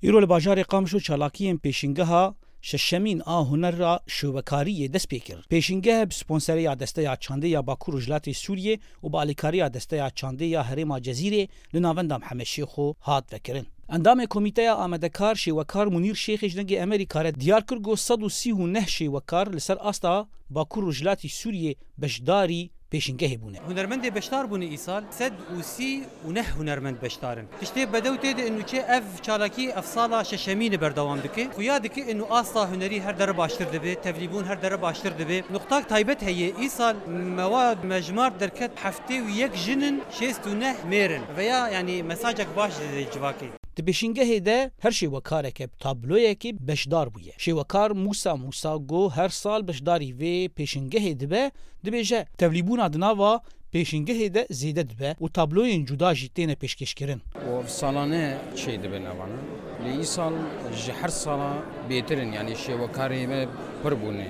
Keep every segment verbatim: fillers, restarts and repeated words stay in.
Îro li bajarê Qamişlo çalakiyên pêşîngeha şeşemîn a hunera şêwekariyê dest pê kir. Pêşîngeh bi sponsereya Desteya Çandê ya Bakur Rojhilatê Sûriyê û bi alîkariya Desteya Çandê ya Herêma Cezîrê li Navenda Mihemed Şêxo hat vekirin. Endamê Komîteya Amadekar Şêwekar Munîr Şêxê ji Dengê Emerîka re diyar kir ku sed û sî û neh şêwekar li ser asta Bakur Rojhilatî Sûriyê beşdarî pêşîngehê bûne. Hunermendê beşdar bûne îsal sed û sî û neh hunermend beşdar in. Tiştê bedew tê de û çi ev çalakî ev sala şeşemîn e berdewam dike. Xuya dike û asta hunerî her dere baştir dibe, tevlîbûn her dere baştir dibe. Nuqtak taybet heye, îsal me wa mejmar derket heftê û yek jin in, şêst û neh mêr in. Veya, yanî, mesajek baş dide civakê. Di pêşîngehê de her şêwekareke bi tabloyekê beşdar bûye. Şêwekar Mûsa Mûsa got her sal beşdarî vê pêşîngehê dibe, dibêje, tevlîbûna di nava pêşîngehê de zêde dibe û tabloyên cuda jî têne pêşkêşkirin. Û ev salane çê dibin evana. Lê îsal ji her sala bêtir in, yanî şêwekarê me pir bûne.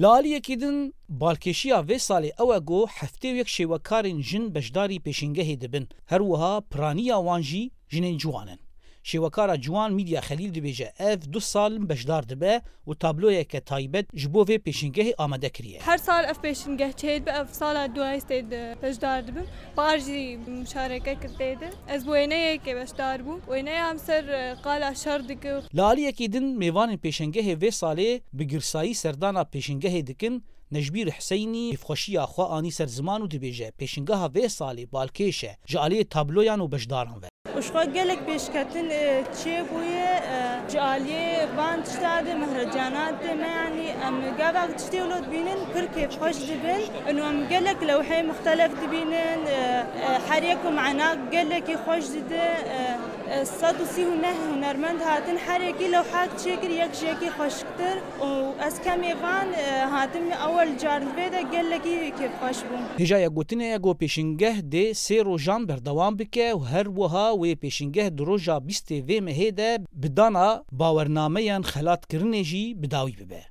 Li aliyekî din, balkêşiya vê salê ew e ku heftê û yek şêwekarên jin beşdarî pêşîngehê dibin. Her wiha piraniya wan jî jinên ciwan in. Şêwekara ciwan Mîdya Xelîl dibêje, ev du sal beşdar dibe û tabloyeke taybet ji bo vê pêşîngehê amade kiriye. Her sal ev pêşîngeh çêdibe, ev sala duayê tê de beşdar dibim. Par jî muşareke kir tê de. Ez bi wêneyekê beşdar bûm. Wêneya em ser, e, qala şer dike. Li aliyekî din mêvanên pêşengehê vê salê bi girsayî serdana pêşengehê dikin. Necbîr Hiseynî kêfxweşiya xwe anî ser ziman û dibêje, pêşingeha vê salê balkêş e ji aliyê tabloyan û beşdaran ve. Û ji xwe gelek pêşketin, e, çêbûye, e, ji aliyê van tişta de mehrecana de me, yanî em gavak tiştê wilo dibînin pir kêfxweş dibin. Û em gelek lewheyê muxtelef dibînin, e, e, her yek û mena gelekî xweş dide. E, e, sed û sî û neh hunermend hatin, her yekî lewhak çêkir, yek ji yekî xweşiktir. Û ez kemê van, e, hatim ewel car li vê de gelekî kêfxweş bûm. Hêjayek gotinê ye ku pêşingeh dê sê rojan berdewam bike û her wiha wê pêşingeh di roja bîstê vê mehê de bi dana bawernameyan xelatkirinê jî bi dawî bibe.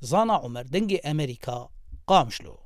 Zana Omer, Dengê Emerîka, Qamişlo.